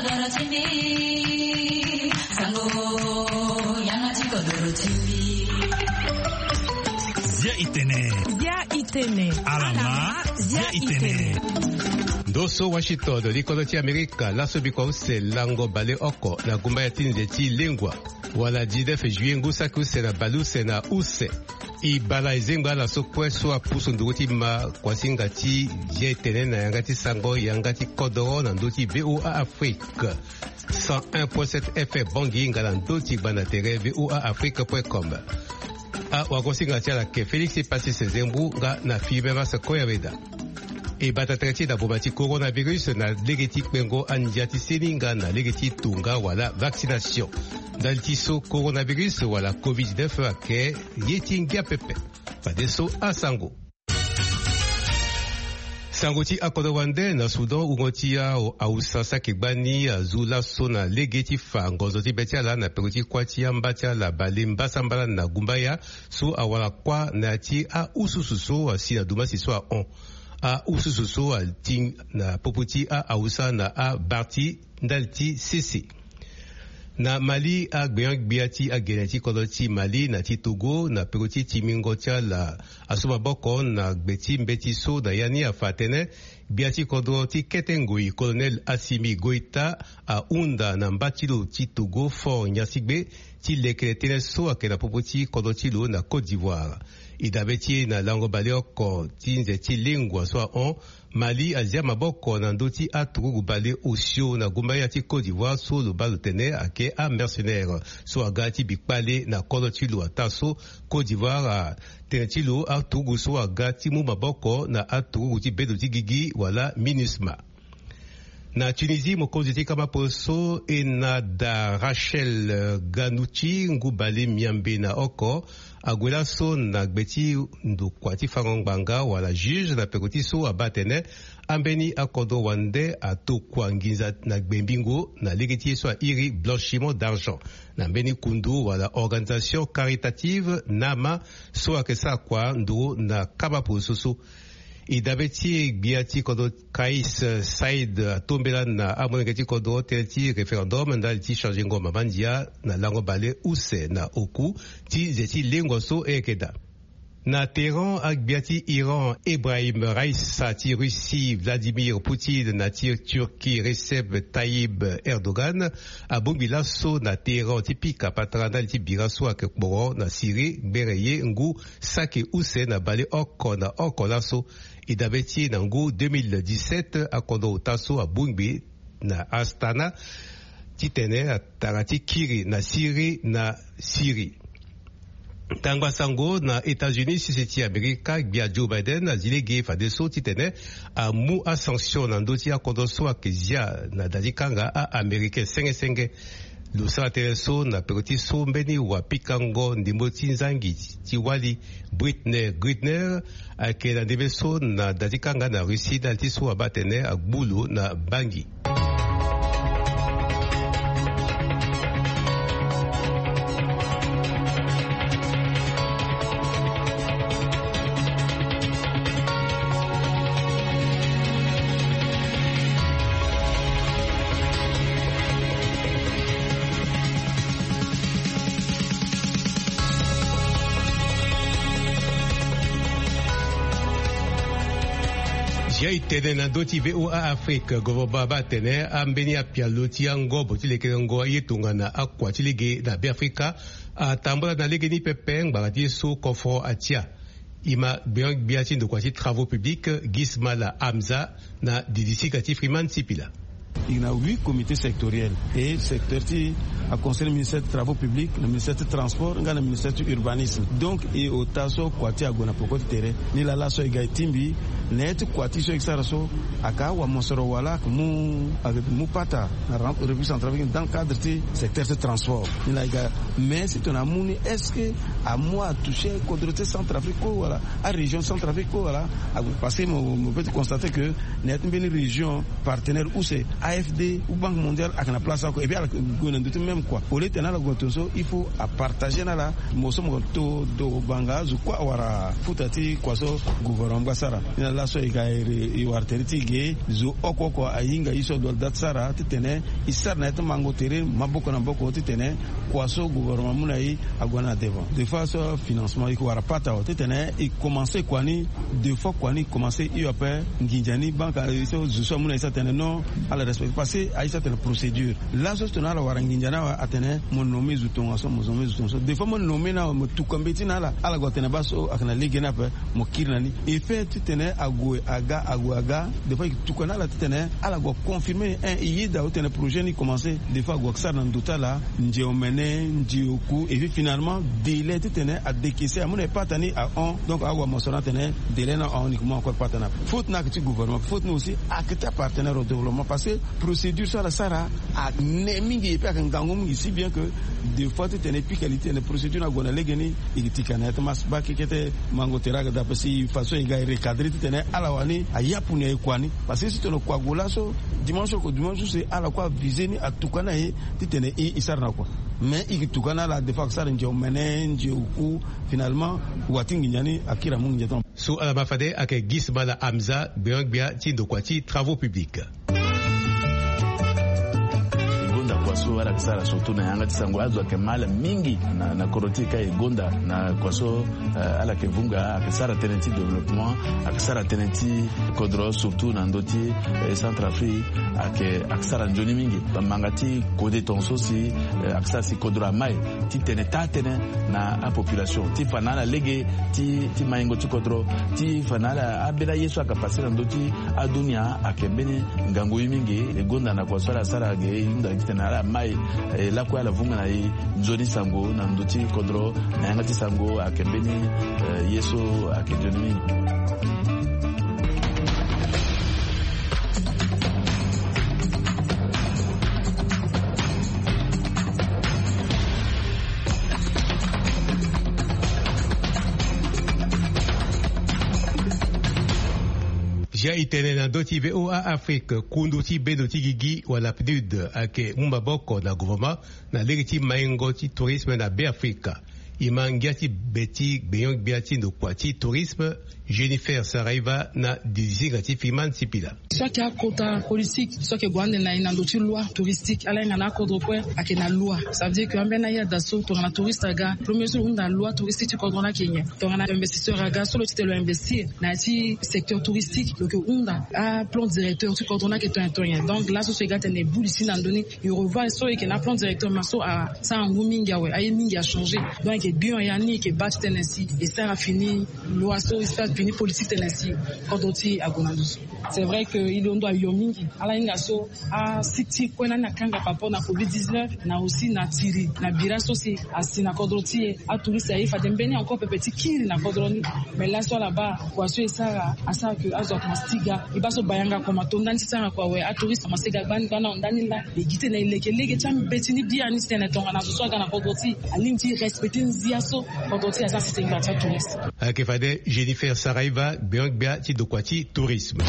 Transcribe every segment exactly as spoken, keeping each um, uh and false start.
Bia itene. Bia itene. Alama. Bia itene. Ndo so Washington, likodo ti Amerika, laso biko use lango baleoko na gumba ya ti nze ti lengua, wala dix-neuf juillet ngu saki use na baleuse na use. E bala e zengba ala so kue so apusu nduru ti ma kuasinga ti bia itene na yanga ti sango yanga ti kodoro na ndö ti V O A Afrique. Cent un point sept F M Bangui nga na ndö ti gbanda tere V O A Afrique point com. Awagosinga ti ala ke Félix Passy Sezembu nga na Philibert Massa Koyaweda. E bata tere ti e na boma ti coronavirus na lege ti kpengo andia ti seni nga na lege ti tonga wala vaccination. Ndali ti so coronavirus wala covid dix-neuf ayeke ye ti ngia pepe. Fadeso asango. Sango ti akodro wande na Soudan, wungo ti a-, awusa saki gbani azu laso na lege ti fa ngonzo ti be ti ala na peko ti kuâ ti amba ti ala bale mbasambala na gumbaya so awara kuâ na ya ti aususu so asi na dumasi so ahon. Aususu so ati na popo ti a-, awusa na abar ti ndali ti sese. Na Mali, agbenyo-gbia ti agene ti kodro ti Mali na ti Togo na peko ti timingo ti ala asu maboko na gbe ti mbeti so na ya ni afa atene gbia ti kodro ti kete ngoi, Colonel Assimi Goïta, ahunda na mba ti lo ti Togo fort nyasigbe ti lekere tënë so ayeke na popo ti kodro ti lo na Côte d'Ivoire. E dabe ti e na lango baleoko ti nze ti lengua so ahon, Mali azia maboko na ndö ti aturugu baleosio na gumbaya ti Côte d'Ivoire so lo baa lo tene ayeke amercenaire so aga ti bi kpale na kodro ti lo. Ataa so Côte d'Ivoire atene ti lo aturugu so aga ti mu maboko na aturugu ti bedo ti gigi wala MINUSMA. Na Tunisie, mokonzi ti kama polo so Enada Rachel Ghannouchi, ngu bale miambe na oko, ague laso na gbe ti ndokua ti fango ngbanga wala juge na peko ti so abaa atene ambeni akodro wande atokua nginza na gbe mbingo na lege ti ye so airi blanchiment d'argent na mbeni kundu wala organisation caritative nama so ayeke sara kua nduru na kama polo so so. E dabe ti e, gbia ti kodro Kais Said atombela na amolenge ti kodro tënë ti référendum ndali ti changengo mama ndia na lango baleuse na oku ti nze ti lengua so e yeke daa. Na Téhéran, agbia ti Iran Ebrahim Raissa, ti Russie Vladimir Poutine na ti Turquie Recep Tayyip Erdogan abongbi laso na Téhéran ti pika patara ndali ti bira so ayeke kporo na Syrie gbere ye ngu saki use na baleoko na oko laso. E dabe ti e na ngu deux mille dix-sept, akodro ota so abongbi na Astana titene atara ti kiri na Syrie na Syrie. Tangba sango na États-Unis, sese ti Amerika, gbia Joe Biden azi lege fadeso titene amu asanction na ndö ti akodro so ayeke zia na da ti kanga a-Américain senge senge. Lo sara tënë so na peko ti so mbeni wapikango ndembo ti nzangi ti wali, Brittney Griner, ayeke na ndembe so na da ti kanga na Russie ndali ti so abaa atene agbu lo na bangi. Zia e tene na ndö ti V O A Afrique, governement abaa atene ambeni apialo ti angobo ti lekerengo aye tongana akua ti lege na Beafrika atambula na legeni pepe ngbanga ti ye so kofro atia. E ma gbenyo-gbia ti ndokua ti travaux publics, Gismala Hamza, na didisika ti Freeman Sipila. E na huit comités sectoriels et secteur ti aconcerné ministère ti travaux publics, na ministère ti transport nga na ministère ti urbanisme. Donc e ota so kua ti e ague na peko ti tere. Nilaa laso e ga e tingbi na ya ti kua ti so e sara so, ayeke awamosoro wala ayeke mu, ayeke mu pata na République centrafricaine dans le cadre ti secteur ti transport. Nilaa e ga, mais si tongana amu ni, est-ce que Amu atoucher kodro ti Centrafrique kue wala arégion Centrafrique kue wala? Parce que mo peut ti constater que na ya ti mbeni région partenaire use, afd ou banque mondiale ayeke na place oko et puis ala gue na ndö ti même kua au lieu ti tene ala gue na tongaso il faut apartager na ala. Mo so mo to do banga azo kue awara futa ti kua so gouvernement baa sara. Ni na laso e ga e wara tere ti e ge zo oko oko ahinga ye so adoit date sara ti tene e sara na ya ti mango tere maboko na maboko ti tene kua so gouvernement amu na e ague na devant. Des fois so financement e ke wara pata awe ti tene e commencer kua ni. Des fois kua ni e commencer hio ape nginza ni banque so zo so amu na e sa tene non, ala respecter parce que aye sa tene procédure. Laso si tene ala wara nginza ni awe atene mo nomme zo tongaso mo nomme zo tongaso des fois mo nomme ni awe mo tuka mbeti na ala ala gue atene baa so ayeke na lege ni ape. Mo kiri na ni effet ti tene ague aga ague aga. Des fois e tuka na ala ti tene ala gue aconfirmer un e yeda awe ti tene projet ni commencer. Des fois ague asara na ndo ti ala nze omene nze oku et puis finalement délai ti tene adécaisser amu na e pata ni ahon. Donc ague amoso na atene délai ni ahon ni ke mu encore pata ni ape. Faute ni ayeke ti gouvernement faute ni aussi ayeke ti apartenaire au développement parce que procédure so ala sara ane mingi et puis ayeke ngangu mingi si bien que des fois ti tene e pika li ti tene procédure ni ague na lege ni. E ke tika na ya ti masse baa keke ti mango tere ayeke daa parce que façon e ga e recadrer ti tene ala wani ayapu na e kua ni. Parce que si tene kua gue laso dimanche oko dimanche use ala kue aviser ni atuka na e ti tene e e sara na kua. Mais e ke tuka na ala des fois ayeke sara nze omene nze oku. Finalement wa ti nginza ni akiri amu nginza ti. So ala ma fade ayeke gisma na amza gbeon-gbia ti ndokua ti travaux publics. E gonda kua so ala yeke sara surtout na yanga ti sango azo ayeke ma ala mingi na kodro ti e ka e gonda na kua so ala yeke vunga ayeke sara tënë ti développement ayeke sara tënë ti kodro surtout na ndö ti Centrafrique. Ayeke ayeke sara nzoni mingi bambanga ti kode tongaso si ayeke sara si kodro ama e ti tene taa tënë na apopulation ti fa na ala lege ti maingo ti kodro ti fa na ala ambeni aye so ayeke pase na ndö ti adunia ayeke mbeni ngangu ye mingi. E gonda na kua so ala sara ge e hunda titene ala mai lakue ala vunga na e nzoni sango na ndö ti kodro na yanga ti sango ayeke mbeni ye so ayeke nzoni mingi. Zia e tene na ndö ti VOA Afrique kundu ti bendo ti gigi wala PNUD ayeke mu maboko na gouvernement na lege ti maingo ti tourisme na Beafrika. E ma ngia ti be ti gbenyo-gbia ti ndokua ti tourisme Jennifer Saraiva na didisinga ti Freeman Sipila. So ayeke akota politique so ayeke gue ande na e na ndö ti loi touristique ala hinga na akodro kue ayeke na loi. Ça veut dire que ambeni ayada so tongana touriste aga premier so lo hunda loi touristique ti kodro ni ayeke nyen? Tongana investisseur aga so lo ti tene lo investir na ya ti secteur touristique lo yeke hunda aplan directeur ti kodro ni ayeke tongana nyen? Donc laso so e ga tene e buli si na ndö ni e revoir so e yeke na aplan directeur ma so asara ngu mingi awe aye mingi achangé. Donc e yeke bion ya ni e yeke baa ti tene si e sara fini loi so e sara fini politique tene si kodro ti e ague na ndo so. C'est vrai que e londo ayo mingi ala hinga so asite ti kue lani akanga par rapport na covid dix-neuf na aussi na tiri na bira so si asi na kodro ti e. Atouriste aye fade mbeni encore pepe ti kiri na kodro ni. Mais laso ala baa kua so e sara asara ke azo akoma stiga e baa so bayanga akoma to ndani ti sara kua awe atouriste akoma stiga gbani gbani ahon ndani laa. E gi tene e leke lege ti ambeti ni biani ti tene tongana zo so aga na kodro ti e alingbi ti respecte nzia so kodro ti e asara si tene gbara ti atouriste. Ayeke fade Jennifer Saraiva gbeon-gbia ti ndokua ti tourisme.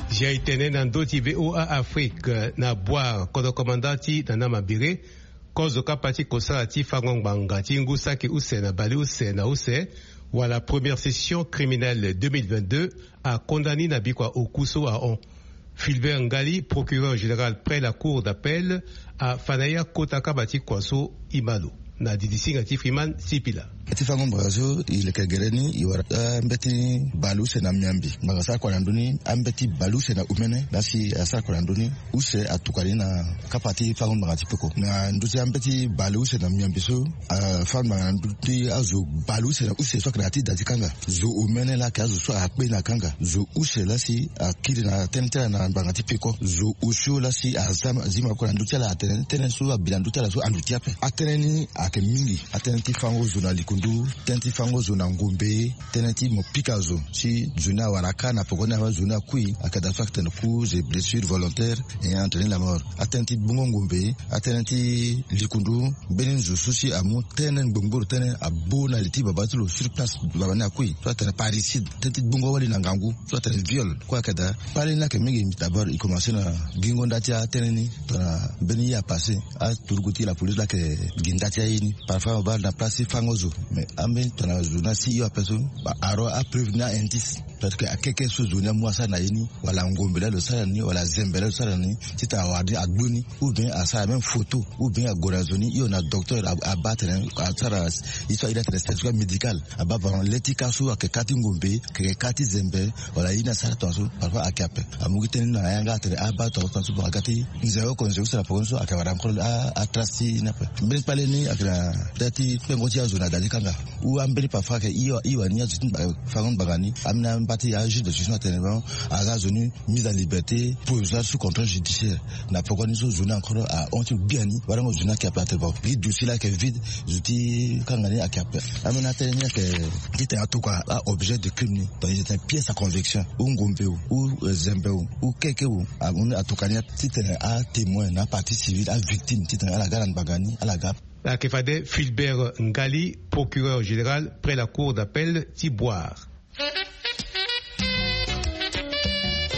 Zia e tene na ndö ti VOA Afrique na Bouar kodro komanda ti Nana Mambéré. Kozo kapa ti kosala ti fango ngbanga ti ngu saki use na baleuse na use wala première session criminelle deux mille vingt-deux akonda ni na bikua oku so ahon. Filbert Ngali, procureur général près la cour d'appel, afa na ya kota kama ti kua so e ma lo na didisinga ti Freeman Sipila. Ti fango ngbanga so e leke gere ni e wara ambeti baleuse na miambi ngbanga asara kua na ndö ni ambeti baleuse na umene laa si asara kua na ndö ni. Use atuka ni na kapa ti fango ngbanga ti peko na ndö ti ambeti baleuse na miambi so afa ngbanga na ndö ti azo baleuse na use so ayeke na ya ti da ti kanga. Zo omene laa ayeke azo so akpe na kanga zo use laa si akiri na tënë ti ala na ngbanga ti peko zo osio laa si aza zi maboko na ndö ti ala. Tënë so abi na ndö ti ala so andu ti ape. Atënë ni ayeke mingi. Atënë ti fango zo na likundu, tënë ti fango zo na ngombe, tënë ti mo pika zo si zo ni awara kâ na poko ni awe zo ni akui. Ayeke daa so ayeke tene coups et blessures volontaires ayant entraîné la mort. Atënë ti gbongo ngombe, atënë ti likundu, mbeni zo so si amu tënë ngbongboro tënë abo na li ti baba ti lo sur place, baba ni akui. So atene parricide, tënë ti gbongo wali na ngangu. So atene viol. Kue ayeke daa. Kpale ni ayeke mingi. D'abord e commencé na gingo nda ti atënë ni tongana mbeni ye apassé, aturugu ti la police laa ayeke gi nda ti aye ni. Parfois mo baa na place ti fango zo, mais ambeni tongana zo ni asi hio ape so, ba aro apreuve ni a-indice. Parce que akeke so zo ni amu asara na ye ni, wala ngombe laa lo sara na ni, wala zembe laa lo sara na ni, titene awara ni agbu ni, ou bien asara même photo, ou bien ague na zo ni hio na docteur, abaa atene asara ye so ahiri atene certificat médical. Abaa vraiment le ti kâ so ayeke kâ ti ngombe, ayeke kâ ti zembe, wala ye ni asara tongaso. Parfois ayeke ape. Amu gi tënë ni na yanga atene abaa tongaso, tongaso, bon aga ti nze oko nze use na poko ni so ayeke wara encore atrace ti ye ni ape. Mbeni kpale ni ayeke na daa ti kpengo ti azo na da ti kanga. Ou ambeni parfois ayeke hio, hio wani azo ti fango ni ngbanga ni. Ambeni amba ti ajuge de instruction atene bon, aza zo ni mise en liberté provisoire sous contrôle judiciaire. Na poko ni so zo ni encore ahon ti lo biani. Warango zo ni ayeke ape atene bon, gi dossier laa ayeke vide. Zo ti kanga ni ayeke ape. Ambeni atënë ni ayeke titene atokua a-objet de crime ni. Donc il est une pièce à conviction. Ou ngombe o, ou zembe o, ou keke o, amu ni atokua ni titene atémoin na apartie civile, avictime titene ala ga na ngbanga ni, ala ga. Ayeke fade Filbert Ngali, procureur général près la cour d'appel ti Bouar.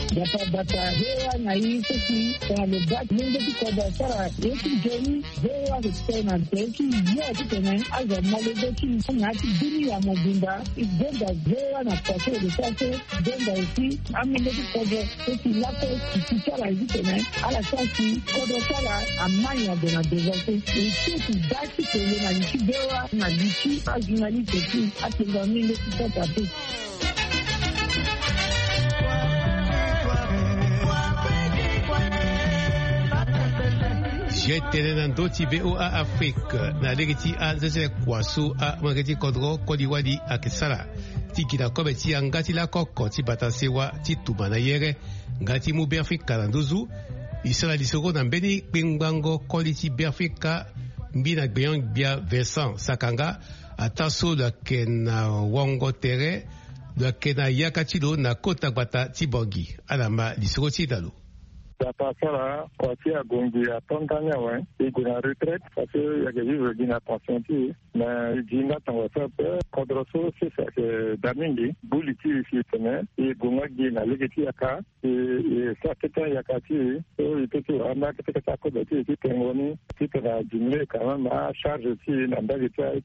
Bata bata, V O A na i so si tongana lo baa ti lenge ti kodro asara ye ti nzoni, V O A ayeke tene na tere ti yo titene azo amolenge ti mo na ya ti bini ya mobimba. E gonda V O A na pase lo sara so, gonda aussi amolenge ti kodro so si lakue si ti ti ala ye titene ala sara si kodro ti ala ama nyango na devant so. E ti e ti baa ti tene na li ti V O A na li ti ajournaliste ti atenga mingi ti sasa te. Siae tene na ndö ti V O A Afrique na lege ti anzenzele kua so amolenge ti kodro koli wali ayeke sara ti gi na kobe ti yanga ti lakoko ti bata sewa ti tuma na yere nga ti mu Beafrika na nduzu. E sara lisoro na mbeni kpengbango koli ti Beafrika, mbi na gbenyo-gbia Vincent Sakanga. Ataa so lo yeke na wango tere, lo yeke na yaka ti lo na kota gbata ti Bangui. Ala ma lisoro ti e na lo. Gbata asara kua ti agongbi ato ndani awe. E gue na retraite parce que e yeke vivre gi na tension ti e. Mais e gi nga tongaso ape. Kodro so sese ayeke daa mingi. Gbu li ti e si e tene e gue nga gi na lege ti yaka. E, e sara kete ayaka ti e so e peut ti wara ambeni akete kete akobe ti e ti tengo ni titene a diminuer quand même acharge ti e na mbage ti aye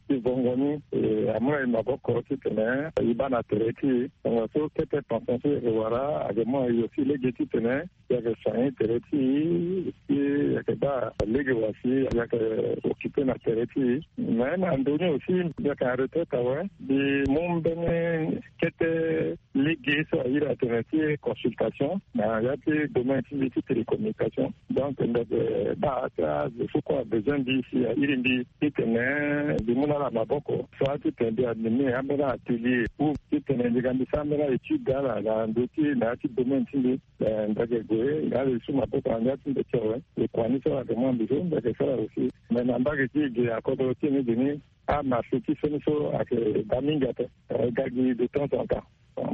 ti vongo ni. E amu na e maboko titene e baa na tere ti e. Tongaso kete tension so e yeke wara ayeke mu na e aussi lege titene e yeke soigner tere ti e, si e yeke baa lege wa si e yeke occuper na tere ti e. Mais na ndo ni aussi mbi yeke na retraite awe, mbi mu mbeni kete lege so ahiri atene ti consultation na ya ti domaine ti mbi ti télécommunication. Donc mbi yeke baa ti azo so kue abezoin mbi si ahiri mbi titene mbi mu na ala maboko, soit titene mbi anime ambeni atelier ou titene mbi ga mbi sara ambeni étude ala na ndo ti na ya ti domaine ti mbi. Eh, mbi yeke gue na ala e su maboko na ndia ti mbi ti awe. E kua ni so ala yeke mu na mbi so mbi yeke sara aussi. Mais na mbage ti e ge na kodro ti e ni ge ni, amarché ti so ni so ayeke daa mingi ape. Eh, e ga gi de temps en temps.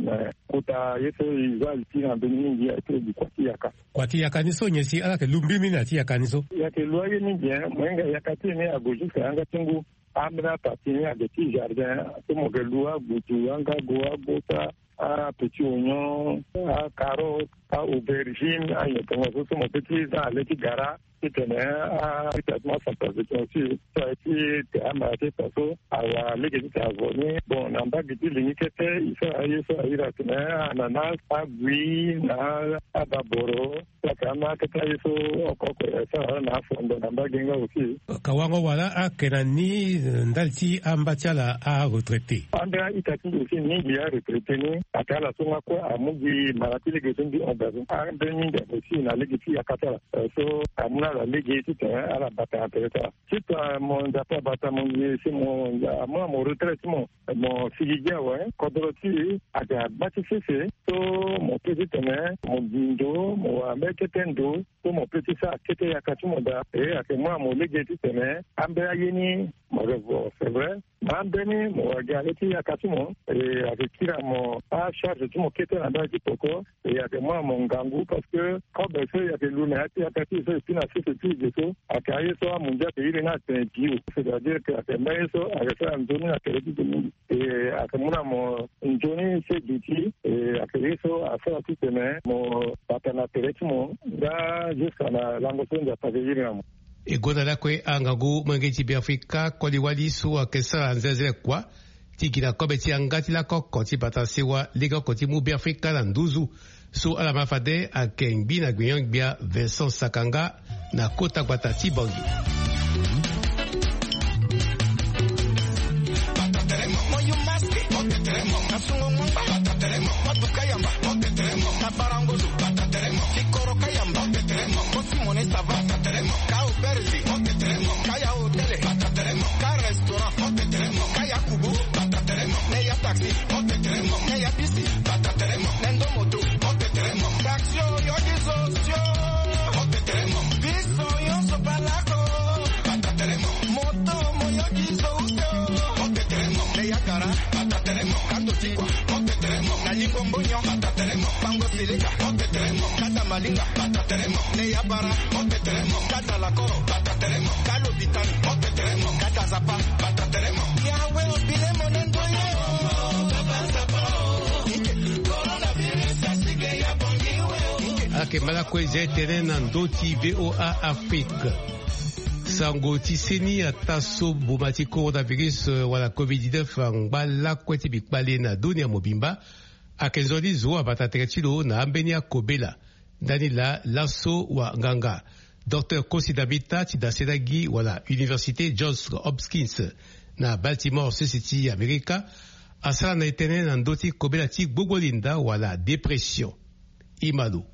Mais kota ye so e za li ti e na mbeni mingi ayeke gi kua ti yaka. Kua ti yaka ni so nyen si ala yeke lu mbimbi na ya ti yaka ni so? E yeke lu aye mingi, hein. Mo hinga yaka ti e ni ague jusque na yanga ti ngu. Ambeni apartie ni ayeke ti jardin so mo yeke lu agudu, angago, agota, apetit oignon, acarotte, a-aubergine, anyen tongaso so mo peut ti za na le ti gara titene a-ita ti mo acentralisation aussi. So aye ti tere amara ti eta so awara lege titene avo ni. Bon, na mbage ti li ni kete e sara aye so ahiri atene ananas, agui na ababoro. Saka ama kete aye so oko oko e sara na afondo na mbage nga aussi. Ka wango wala ayeke na ni, eh, ndali ti amba ti ala aretraité? Ambeni a-ita ti mbi aussi mingi aretraité ni. Ayeke ala so nga kue amu gi mara ti lege so mbi hon Ambeni nda mo si na lege ti yaka ti ala. So amu na ala lege titene ala bata na tere ti ala. Titene mo nzapa bata mo ngi si mo amu na mo retrait ti mo, mo sigi gi awe. Kodro ti e ayeke na gba ti sese. So mo pe titene mo gi ndo, mo wara mbeni kete ndo, so mo pe ti sara kete yaka ti mo daa. E ayeke mu na mo lege titene ambeni aye ni mo yeke vo, c'est vrai. Na ambeni mo wara gi na le ti yaka ti mo. E ayeke kiri na mo acharge ti mo kete na mbage ti peko. E ayeke mu na mo ngangu parce que kobe so e ayeke lu na ya ti yaka ti e so e pi na sese ti e ge so ayeke aye so amundia ayeke iri ni atene bio, c'est-à-dire que ayeke mbeni ye so ayeke sara nzoni na tere ti e mingi. E ayeke mu na mo nzoni so e duti. E ayeke ye so asara titene mo bata na tere ti mo nga jusqu'à na lango so Nzapa ayeke iri na mo. E gonda lakue angangu molenge ti Beafrika koli wali so ayeke sara nzenze kua ti gi na kobe ti yanga ti lako oko ti bata sewa lege oko ti mu Beafrika na nduzu. So ala ma fade ayeke ngbi na gbenyo-gbia Vincent Sakanga na kota gbata ti Bangui. Kaya restaurant, Neya taxi, Neya bisi, Nendo moto, taxi oyo gizo sio, biso nyonso palako, moto moyo gizo uto, Neya gara, kando tikwa, na lingo mbonyo, bango silika, kata malinga, Neya bara, kata lakoro, kalo bitani, kata zapa, Yawe obile monendo ye. Ake mala kue ze tene na ndo ti V O A Afrique. Sango ti seni ata so boma ti coronavirus, eh, wala covid dix-neuf angba lakue ti bikpale na dunia mobimba. Ake nzoni zo abata tere ti lo na ambeni akobela. Ndani laa laso wa nganga Docteur Kosi Davita ti dasena gi wala Université Johns Hopkins na Baltimore, sese ti Amerika, asara na e tënë na ndö ti kobela ti gbogbo linda wala dépression. Imalo.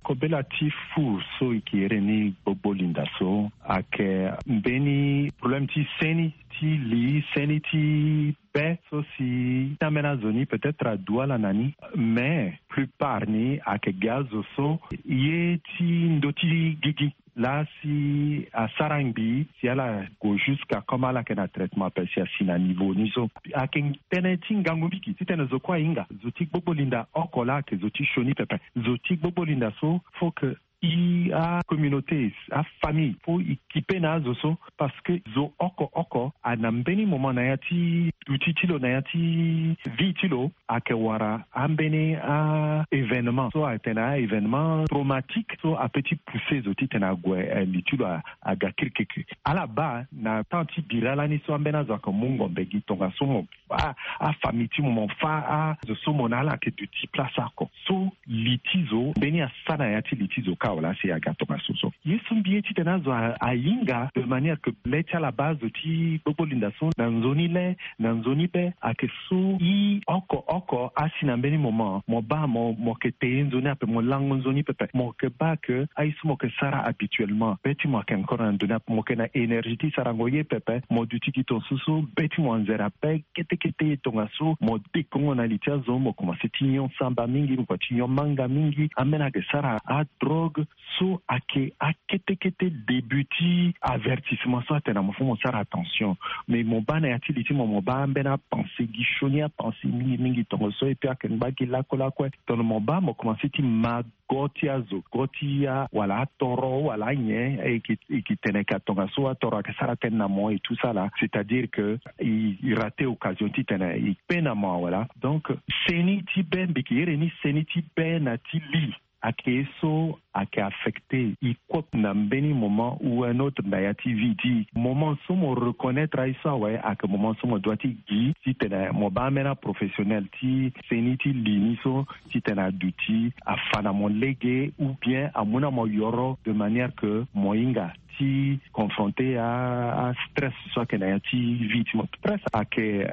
Kobela ti fu so e ke iri ni gbogbo linda so ayeke mbeni problème ti seni ti li, seni ti be so si na ambeni azo ni peut-être adu ala na ni. Mais plupart ni ayeke gi azo so ye ti ndö ti gigi laa si asara ngbii si ala gue jusqu'à comme ala yeke na traitement ape si asi na niveau ni so. Ayeke tënë ti ngangu mingi titene zo kue ahinga zo ti gbogbo linda oko laa ayeke zo ti sioni pepe. Zo ti gbogbo linda so faut que i acommunauté, afamille, faut i kipe na azo so, parce que zo oko oko ana mbeni moment na ya ti duti ti lo, na ya ti vie ti lo, ayeke wara ambeni a-événement so atene a-événement traumatique so ape ti pousser zo titene ague, eh, li ti lo a, aga kirikiri. Ala baa na temps ti bira lani so ambeni azo ayeke mu ngombe gi tongaso mo a, afamille ti mo, mo fa azo so mo na ala ayeke duti place oko. So li ti zo mbeni asa na ya ti li ti zo kâ wala asi aga tongaso so. Ye so mbi ye titene azo a, ahinga de manière que le ti ala baa azo ti gbogbo linda so na nzoni le, na nzoni be, ayeke so i oko oko asi na mbeni moment mo baa mo, mo yeke te ye nzoni ape, mo lango nzoni pepe, mo yeke baa que aye so mo yeke sara habituellement be ti mo ayeke encore na ndoni ape, mo yeke na énergie ti sarango ye pepe, mo duti gi tongaso so be ti mo anzere ape. Kete kete ye tongaso mo dekongo na li ti azo, mo komanse ti nyon samba mingi, mo komanse ti nyon manga mingi, ambeni ayeke sara adrogue. So ayeke akete kete début ti avertissement so atene na mo fo mo sara attention. Mais mo baa na ya ti li ti mo, mo baa ambeni apensée gi sioni apensée mingi mingi tongaso, et puis ayeke ngba gi lakue lakue. Tongana mo baa mo komanse ti ma go ti azo, go ti a wala atoro wala anyen, e yeke, e yeke tene ka tongaso atoro ayeke sara tënë na mo et tout ça là, c'est-à-dire que i, i raté occasion titene i kpe na mo wala. Donc seni ti be, mbi yeke iri ni seni ti be na ti li, ayeke ye so ayeke affecté i kue na mbeni moment ou un autre na ya ti vie ti i. Moment so mo reconnaître aye so awe ayeke moment so mo doit ti gi titene mo baa ambeni aprofessionnel ti seni ti li ni so titene aduti afa na mo lege ou bien amu na mo yoro de manière que mo hinga ti confronter astress so ayeke na ya ti vie ti mo. Stress ayeke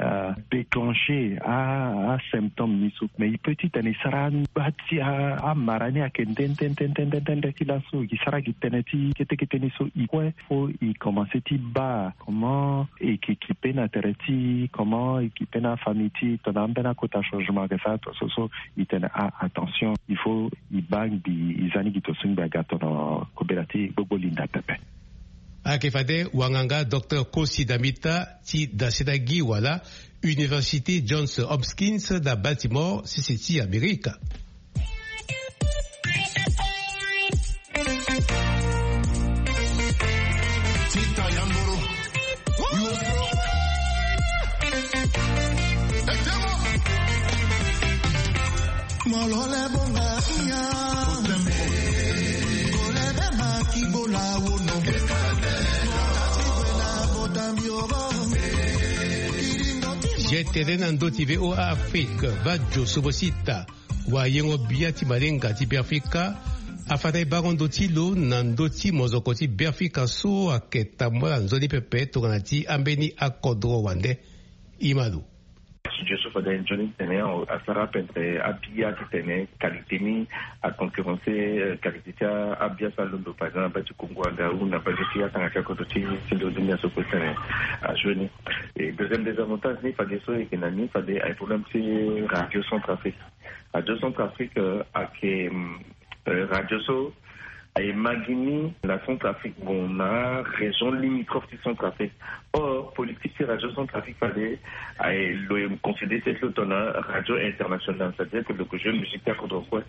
déclencher asymptôme ni so, mais e peut ti tene e sara angba ti amara ni ayeke nde nde nde nde nde ti laso e sara gi tënë ti kete kete ni so e kue. Faut e commencer ti baa comment e yeke kipe na tere ti comment e kipe na afamille ti tongana ambeni akota changement ayeke sara to so so e tene ah attention, il faut e baa ngbi e za ni gi to so ngbi aga tongana kobela ti gbogbo linda pepe. Ayeke fade wanganga docteur Kosi Damita ti daseda gi wala Université Johns Hopkins na Baltimore, sese ti Amerika. Ye tene na ndö ti VOA Afrique, Vadio Sobosita, wayengo bia ti malenga ti Beafrika, afa na e bango ndö ti lo na ndö ti mozoko ti Beafrika so ayeke tambula nzoni pepe tongana ti ambeni akodro wande. E ma lo. Studio so fade nzoni titene asara ape entre abia titene qualité ni aconcurrencer qualité ti abia so alondo par exemple na baa ti Congo aga ou na baa ti atanga ti akodro ti ti ndo ti ndia so kue titene ajoue ni. Et deuxième désavantage ni fade so e yeke na ni fade aye problème ti Radio Centrafrique. Radio Centrafrique ayeke radio so aye ma gi ni na Centrafrique, bon, na région limitrophe ti Centrafrique. Or politique ti Radio Centrafrique fade aye lo e considérer ti lo tongana radio internationale, c'est-à-dire que lo ke joue musique ti akodro kue.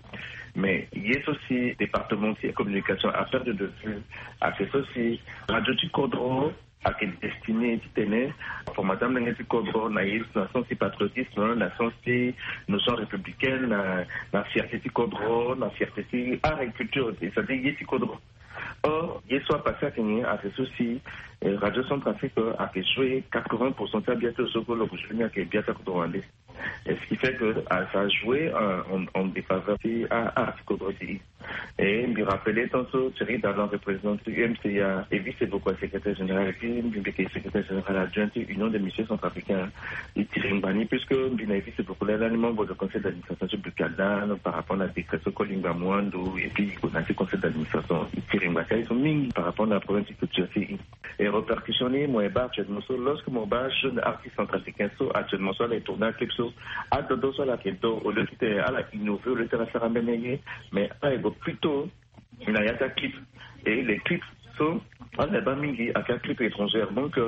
Mais ye so si département ti communication a perdre de vue ayeke so si radio ti kodro ayeke destiné titene formater amolenge ti kodro na ye na sens ti patriotisme, na sens ti notion républicaine, na fierté ti kodro, na fierté ti art et culture, c'est-à-dire ye ti kodro. Or ye so apasé ayeke ni ayeke so si Radio Centrafrique ayeke jouer quatre-vingts pour cent ti abia ti lo so kue lo ke jouer ni ayeke bia ti akodro wande. Et ce qui fait que ça a joué en défaveur ti art ti kodro ti e. Et mbi rappelé tant so Thierry Darlan, représentant ti U M C A, e vice beaucoup à secrétaire général, et puis mbi mbi yeke secrétaire général adjoint ti Union des musiciens centrafricains. E tiri ngba ni puisque mbi na e vice beaucoup là, là ni membre de conseil d'administration ti Bucana par rapport na décret so Kolingba Muandu, et puis na ti conseil d'administration e tiri ngba ti aye so mingi par rapport na problème ti culture ti e. Et répercussion ni mo ye baa actuellement so lorsque mo baa jeune artiste centrafricain so actuellement so ala ye tourner aclip so, adodo so ala yeke do au lieu ti tene ala innover au lieu ti ala sara mbeni ye, mais ala ye go plutôt na ya ti aclip. Et les clips so ala ye baa mingi ayeke aclip étrangère, donc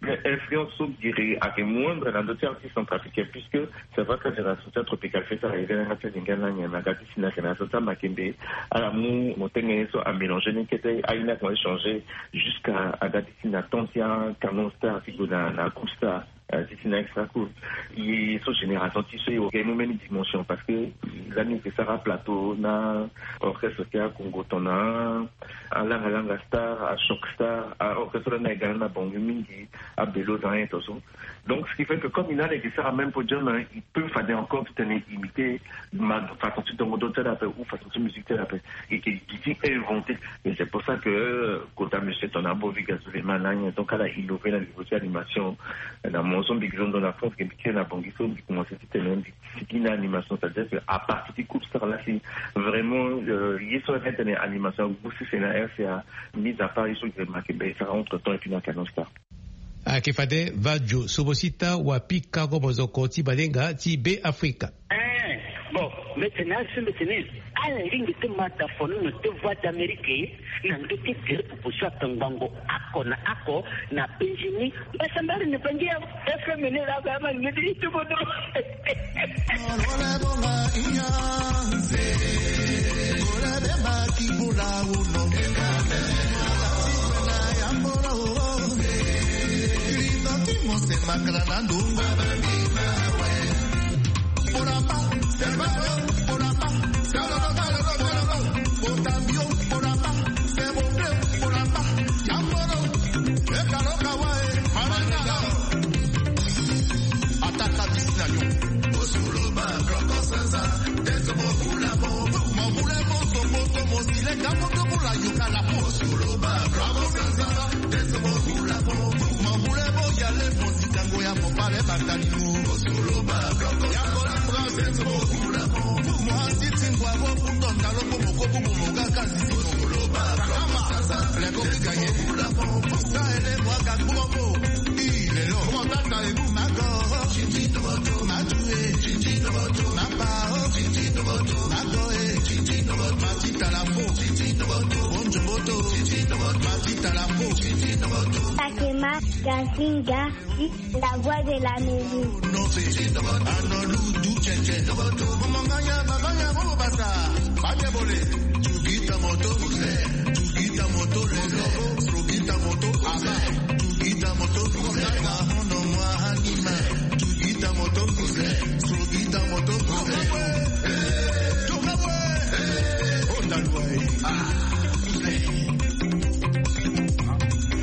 influence so giri ayeke moindre na ndö ti artiste centrafricain puisque c'est vrai que génération ti atropical fait sara ye ga na yanga ti alinga na nyen na ga ti si na génération ti amakembe. Ala mu mo tenge ye so amélanger ni kete aye ni akomanse changer jusqu'à aga ti si na temps ti acanon star ti gue na na groupe star ti si na extra cool. Ye so génération ti so e mu mbeni dimension parce que lani e ke sara plateau na orchestre ti akongo tongana alanga langa star, achoc star, orchestre lani aye ga na bango mingi, abelo dans un temps so. Donc ce qui fait que comme il a les guitarres même podium, il peut faire encore tenir imiter ma façon de donner de la paix ou façon de musique de la paix et qui qui inventé. Et c'est pour ça que kota monsieur ton abo vi gazouvé malin, donc à la innové la niveau de l'animation. Na mon son big zone dans la France qui est la banque il faut commencer à tenir une petite animation, c'est-à-dire que à partir du coup ça là c'est vraiment il y a sur la tête animation aussi c'est la R C A. Mis à part il faut que ma que ben ça entre temps et puis dans canon star. Ayeke fade vadio sobosita wa pika go mozoko ti balenga ti be afrika. Bon, mbetene asi mbetene ala lingbi ti mata fonono ti voie d'amérique na ndö ti gere pupu so atongbango ako na ako na benjini. Mbasambari ni bangi ya fmn la ga ma ngedi itubodo. Takema Gazinga, la voix de l'Amérique.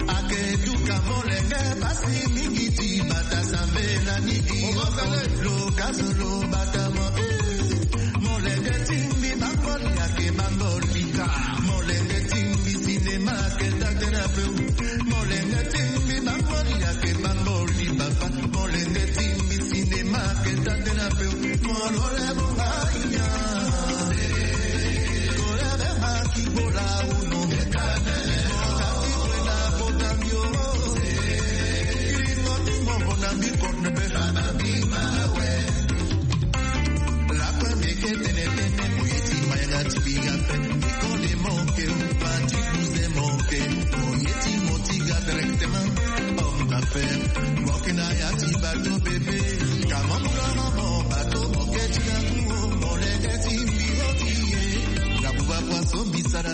Ake duka molenge basi mingi ti bata sambela ni di. Lo gazo lo bata mo. Molenge timbi bango li ake bango lika. Molenge timbi cinéma ake tatena peu. Molenge timbi bango li ake bango li papa. Molenge timbi cinéma ake tatena peu. Molole bonga inya. Kolebe maki bola uno.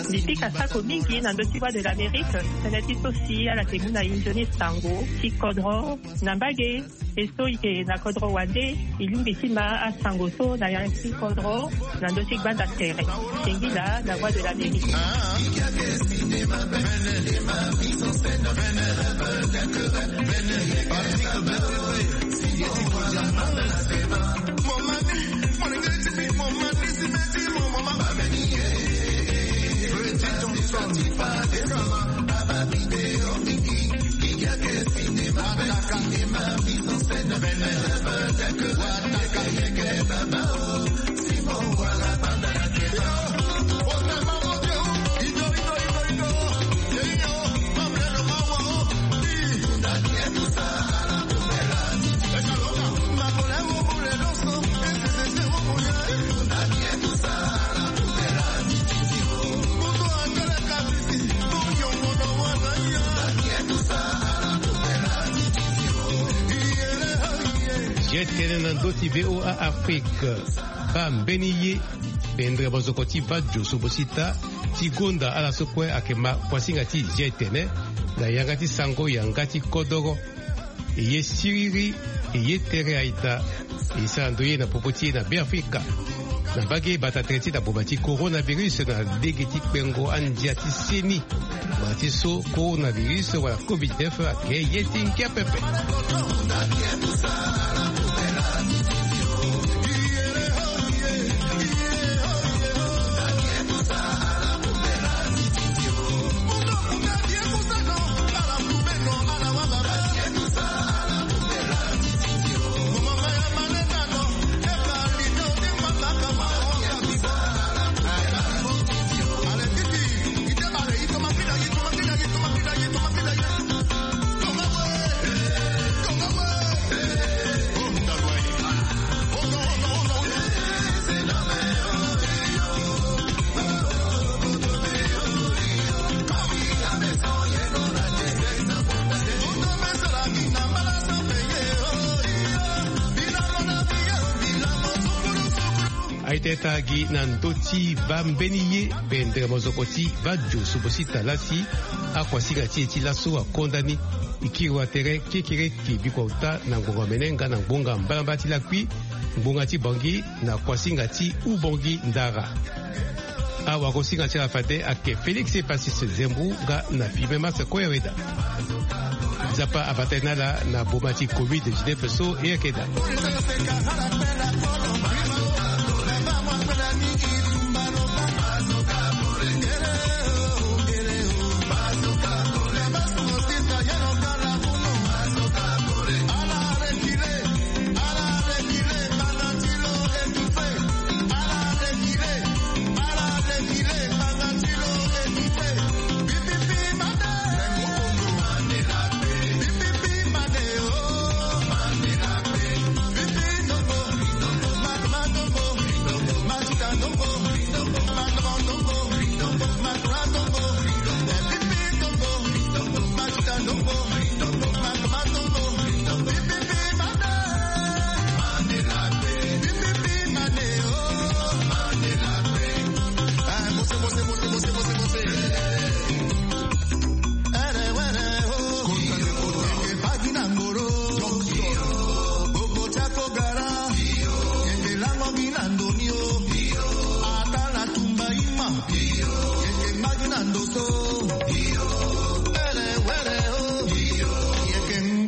Mbi pika sako mingi na ndö ti Voix de l'Amérique, tënë ti so si ala yeke mu na e nzoni sango ti kodro na mbage. E so e yeke na kodro wande, e lingbi ti ma asango so na yanga ti kodro na ndö ti gbanda tere. Singila na Voix de l'Amérique. Zia tënë na ndö ti V O A Afrique. Baa mbeni ye. Bendere mozoko ti vadio so bosita ti gonda ala so kue ayeke ma kuasinga ti zia tene na yanga ti sango yanga ti kodoro. E ye siriri, e ye tere aita. E sara ndo ye na popo ti e na Beafrika. Na mbage bata tere ti na boma ti coronavirus na lege ti kpengo andia ti seni. Wala ti so coronavirus wala covid neuf ayeke ye ti ngia pepe. Aita e taa gi na ndö ti baa mbeni ye. Bendere mozoko ti vadio so bosita lasi akuasinga ti e ti laso akonda ni. E kiri wa tere kekereke bikua ota na ngbonga mene nga na ngbonga mbalambala ti lakui, ngbonga ti Bangui na kuasinga ti Ubangui Ndara. Awakosinga ti ala fade ayeke Félix Pacis Zembu nga na Firmin Mars Koyaweda. Nzapa abata e na ala na boma ti covid dix-neuf so e yeke daa.